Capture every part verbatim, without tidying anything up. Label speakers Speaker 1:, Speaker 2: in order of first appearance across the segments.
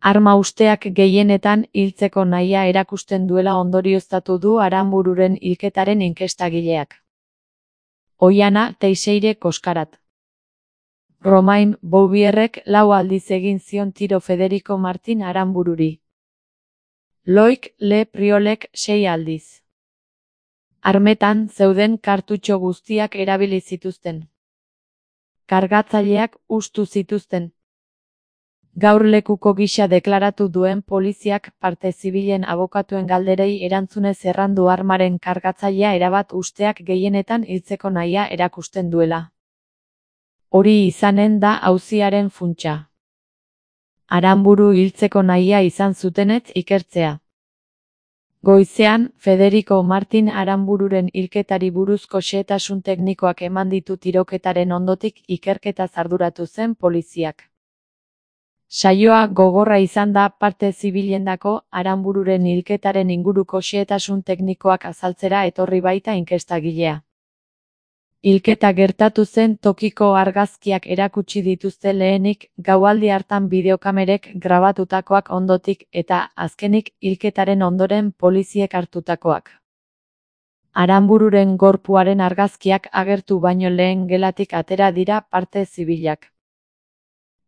Speaker 1: Arma usteak gehienetan hiltzeko nahia erakusten duela ondorioztatu du Aranbururen hilketaren inkestagileak. Oiana Teixeire Koskarat. Romain Bouvierrek lau aldiz egin zion tiro Federico Martin Aranbururi. Loic Le Priolek sei aldiz. Armetan zeuden kartutxo guztiak erabili zituzten. Kargatzaileak hustu zituzten. Gaur lekuko gisa deklaratu duen poliziak parte zibilen abokatuen galderei erantzunez errandu armaren kargatzailea erabat usteak gehienetan hiltzeko nahia erakusten duela. Hori izanen da auziaren funtsa. Aranburu hiltzeko nahia izan zutenez ikertzea. Goizean, Federico Martin Aranbururen hilketari buruzko xehetasun teknikoak eman ditu tiroketaren ondotik ikerketaz arduratu zen poliziak. Saioa gogorra izan da parte zibilendako Aranbururen hilketaren inguruko xehetasun teknikoak azaltzera etorri baita inkestagilea. Hilketa gertatu zen tokiko argazkiak erakutsi dituzte lehenik, gaualdi hartan bideokamerek grabatutakoak ondotik eta, azkenik, hilketaren ondoren poliziek hartutakoak. Aranbururen gorpuaren argazkiak agertu baino lehen gelatik atera dira parte zibilak.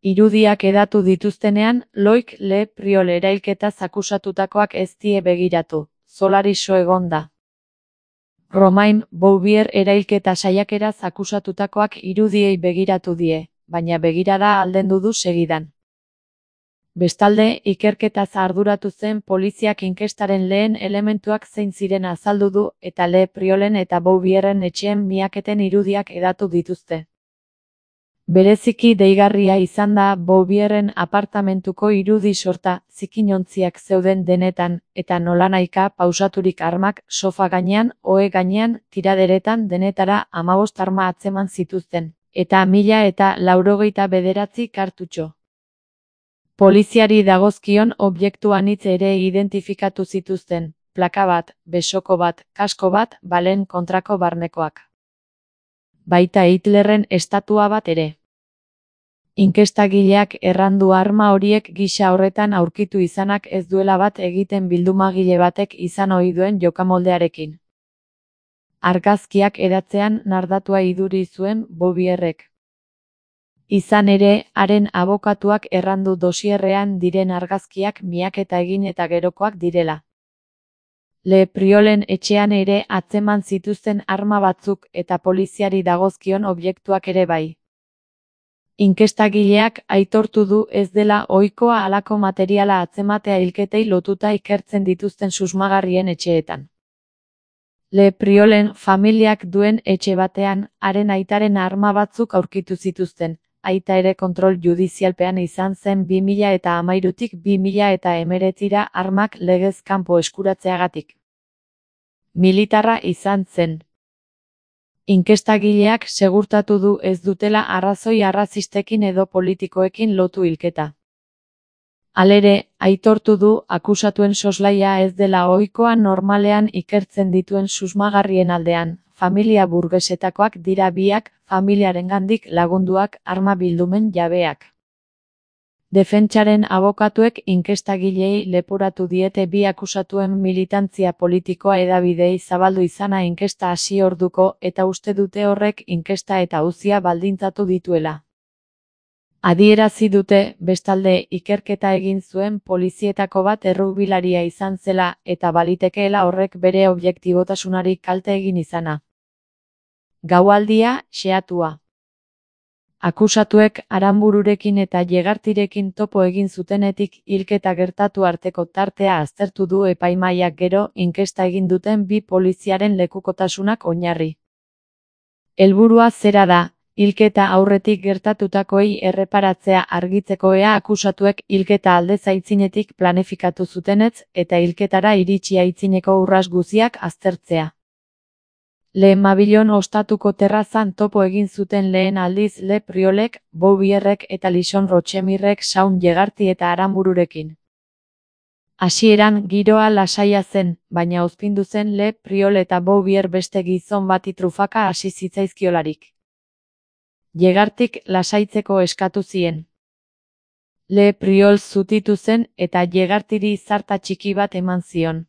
Speaker 1: Irudiak edatu dituztenean, Loic Le Priol erailketaz akusatutakoak ez die begiratu, Solariso egon da. Romain Bouvier erailketa saiakeraz akusatutakoak irudiei begiratu die, baina begirada aldendu du segidan. Bestalde, ikerketaz arduratu zen poliziak inkestaren lehen elementuak zein ziren azaldu du eta Le Priolen eta Bouvierren etxeen miaketen irudiak edatu dituzte. Bereziki deigarria izan da Bouvierren apartamentuko irudi sorta, zikinontziak zeuden denetan, eta nolanahika pausaturik armak, sofa gainean, ohe gainean, tiraderetan denetara hamabost arma atzeman zituzten, eta mila eta laurogeita bederatzi kartutxo. Poliziari dagozkion objektu anitz ere identifikatu zituzten, plaka bat, besoko bat, kasko bat, balen kontrako barnekoak. Baita Hitlerren estatua bat ere. Inkestagileak errandu arma horiek gisa horretan aurkitu izanak ez duela bat egiten bildumagile batek izan ohi duen jokamoldearekin. Argazkiak edatzean nardatua iduri zuen Bouvierrek. Izan ere, haren abokatuak errandu dosierrean diren argazkiak miaketa egin eta gerokoak direla. Le Priolen etxean ere atzeman zituzten arma batzuk eta poliziari dagozkion objektuak ere bai. Inkestagileak aitortu du ez dela ohikoa halako materiala atzematea hilketei lotuta ikertzen dituzten susmagarrien etxeetan. Le Priolen familiak duen etxe batean, haren aitaren arma batzuk aurkitu zituzten, aita ere kontrol judizialpean izan zen bi mila eta hamairutik bi mila eta hemeretzira armak legez kanpo eskuratzeagatik. Militarra izan zen. Inkestagileak segurtatu du ez dutela arrazoi arrazistekin edo politikoekin lotu hilketa. Halere, aitortu du akusatuen soslaia ez dela ohikoa normalean ikertzen dituen susmagarrien aldean, familia burgesetakoak dira biak, familiarengandik lagunduak arma bildumen jabeak. Defentsaren abokatuek inkestagilei leporatu diete bi akusatuen militantzia politikoa hedabideei zabaldu izana inkesta hasi orduko eta uste dute horrek inkesta eta auzia baldintzatu dituela. Adierazi dute, bestalde, ikerketa egin zuen polizietako bat errugbilaria izan zela eta balitekeela horrek bere objektibotasunari kalte egin izana. Gaualdia, xehatua. Akusatuek Aranbururekin eta Llegartirekin topo egin zutenetik hilketa gertatu arteko tartea aztertu du epaimahaiak gero inkesta egin duten bi poliziaren lekukotasunak oinarri. Helburua zera da, hilketa aurretik gertatutakoei erreparatzea argitzeko ea akusatuek hilketa aldez aitzinetik planifikatu zutenez eta hilketara iritsi aitzineko urras guziak aztertzea. Le Mabilon ostatuko terrazan topo egin zuten lehen aldiz Le Priolek, Bouvierrek eta Lison Rochemirrek Saun Llegarti eta Aranbururekin. Hasieran giroa lasaia zen, baina ozpindu zen Le Priol eta Bouvier beste gizon bati trufaka hasi zitzaizkiolarik. Llegartik lasaitzeko eskatu zien. Le Priol zutitu zen eta Llegartiri zarta txiki bat eman zion.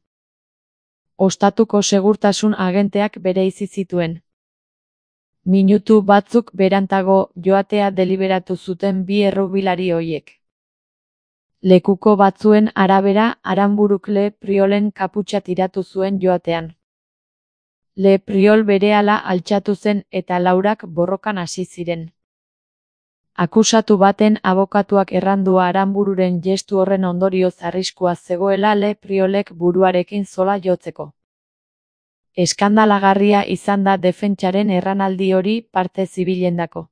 Speaker 1: Ostatuko segurtasun agenteak bereizi zituen. Minutu batzuk berantago joatea deliberatu zuten bi errubilari hoiek. Lekuko batzuen arabera, Aranburuk Le Priolen kaputxa tiratu zuen joatean. Le Priol berehala altxatu zen eta laurak borrokan hasi ziren. Akusatu baten abokatuak errandua Aranbururen gestu horren ondorioz arriskua zegoela Le Priolek buruarekin zola jotzeko. Eskandalagarria izan da defentsaren erranaldi hori parte zibilendako.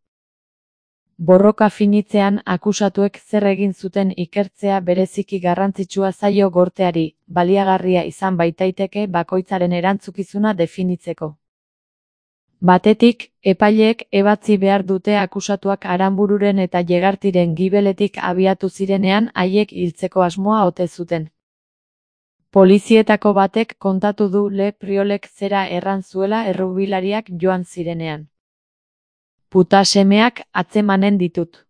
Speaker 1: Borroka finitzean akusatuek zer egin zuten ikertzea bereziki garrantzitsua zaio gorteari, baliagarria izan baitaiteke bakoitzaren erantzukizuna definitzeko. Batetik, epaileek ebatzi behar dute akusatuak Aranbururen eta Llegartiren gibeletik abiatu zirenean haiek hiltzeko asmoa ote zuten. Polizietako batek kontatu du Le Priolek zera erran zuela errubilariak joan zirenean. Puta semeak atzemanen ditut.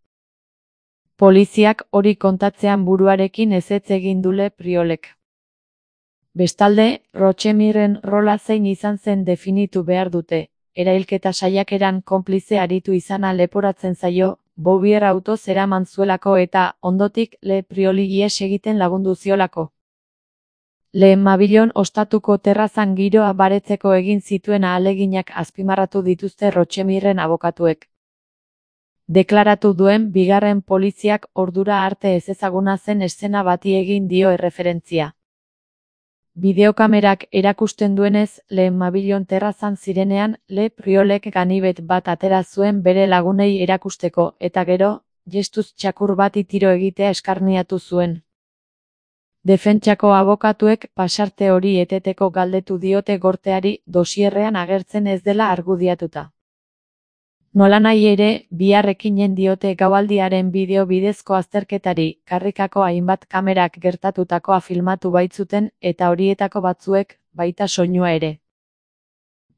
Speaker 1: Poliziak hori kontatzean buruarekin ezetz egin du Le Priolek. Bestalde, Rochemirren rola zein izan zen definitu behar dute. Erailketa saiakeran konplize aritu izana leporatzen zaio, Bouvier autoz eraman zuelako eta, ondotik, Le Prioli ihes egiten lagundu ziolako. Le Mabillon ostatuko terrazan giroa baretzeko egin zituen ahaleginak azpimarratu dituzte Rochemirren abokatuek. Deklaratu duen bigarren poliziak ordura arte ezezaguna zen eszena bati egin dio erreferentzia. Bideokamerak erakusten duenez, Le Mabillon terrazan zirenean, Le Priolek ganibet bat atera zuen bere lagunei erakusteko, eta gero, gestuz txakur bati tiro egitea eskarniatu zuen. Defentsako abokatuek pasarte hori eteteko galdetu diote gorteari dosierrean agertzen ez dela argudiatuta. Nolanahi ere, biharrekinen diote gaualdiaren bideo bidezko azterketari, karrikako hainbat kamerak gertatutakoa filmatu baitzuten eta horietako batzuek, baita soinua ere.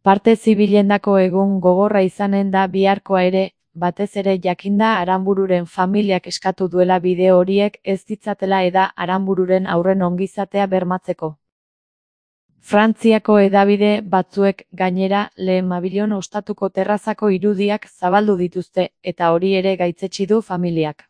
Speaker 1: Parte zibilendako egun gogorra izanen da biharkoa ere, batez ere jakinda Aranbururen familiak eskatu duela bideo horiek ez ditzatela eda Aranbururen aurren ongizatea bermatzeko. Frantziako hedabide batzuek gainera Le Mabillon ostatuko terrazako irudiak zabaldu dituzte, eta hori ere gaitzetsi du familiak.